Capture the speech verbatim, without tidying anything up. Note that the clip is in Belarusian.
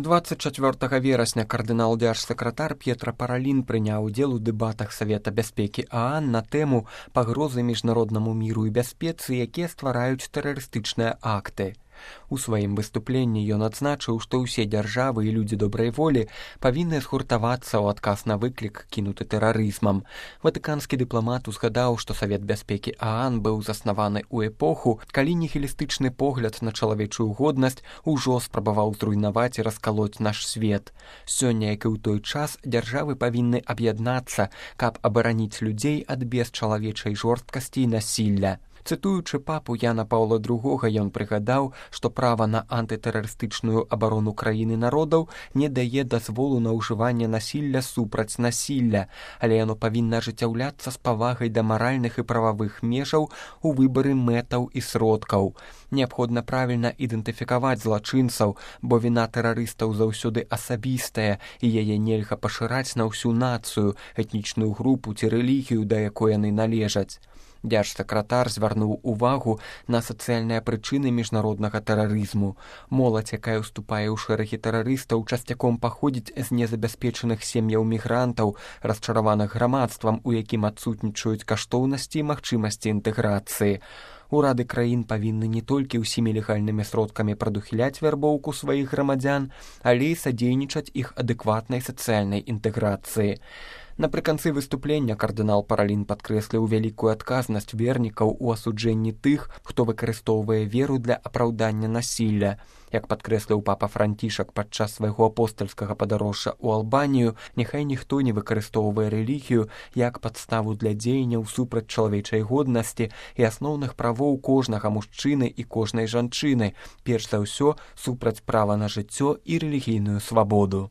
двадцать чацвёртага верасня кардынал-дзяржсакратар П'етра Паралін прыняў удзел у дэбатах Савета бяспекі ААН на тэму пагрозы міжнароднаму міру і бяспецы, якія ствараюць тэрарыстычныя акты. У сваім выступленні ён адзначыў, што ўсе дзяржавы і людзі добрай волі павінны згуртавацца ў адказ на выклік, кінуты тэрарызмам. Ватыканскі дыпламат узгадаў, што Савет бяспекі ААН быў заснаваны ў эпоху, калі нігілістычны погляд на чалавечую годнасць ужо спрабаваў зруйнаваць і раскалоць наш свет. Сёння, як і ў той час, дзяржавы павінны аб'яднацца, каб абараніць людзей ад бесчалавечай жорсткасці і насілля. Цытуючы папу Яна Паўла другога, ён прыгадаў, што права на антытэрарыстычную абарону краіны народаў не дае дазволу на ўжыванне насілля супраць насілля, але яно павінна ажыццяўляцца з павагай да маральных і прававых межаў у выбары мэтаў і сродкаў. Неабходна правільна ідэнтыфікаваць злачынцаў, бо віна тэрарыстаў заўсёды асабістая, і яе нельга пашыраць на ўсю нацыю, этнічную групу ці рэлігію, да якой яны належаць. Дзяржсакратар звярнуў увагу на сацыяльныя прычыны міжнароднага тэрарызму. Моладзь, якая ўступае ў шэрагі тэрарыстаў, часцяком паходзіць з незабяспечаных сем'яў мігрантаў, расчараваных грамадствам, у якім адсутнічаюць каштоўнасці і магчымасці інтэграцыі. Урады краін павінны не толькі ўсімі легальнымі сродкамі прадухіляць вярбоўку сваіх грамадзян, але і садзейнічаць іх адэкватнай сацыяльнай інтэграцыі. Напрыканцы выступлення кардынал Паралін падкрэсліў вялікую адказнасць вернікаў у асуджэнні тых, хто выкарыстоўвае веру для апраўдання насілля. Як падкрэсліў папа Францішак падчас свайго апостальскага падарожжа ў Албанію, няхай ніхто не выкарыстоўвае рэлігію як падставу для дзеянняў супраць чалавечай годнасці і асноўных правоў кожнага мужчыны і кожнай жанчыны, перш за ўсё супраць права на жыццё і рэлігійную свабоду.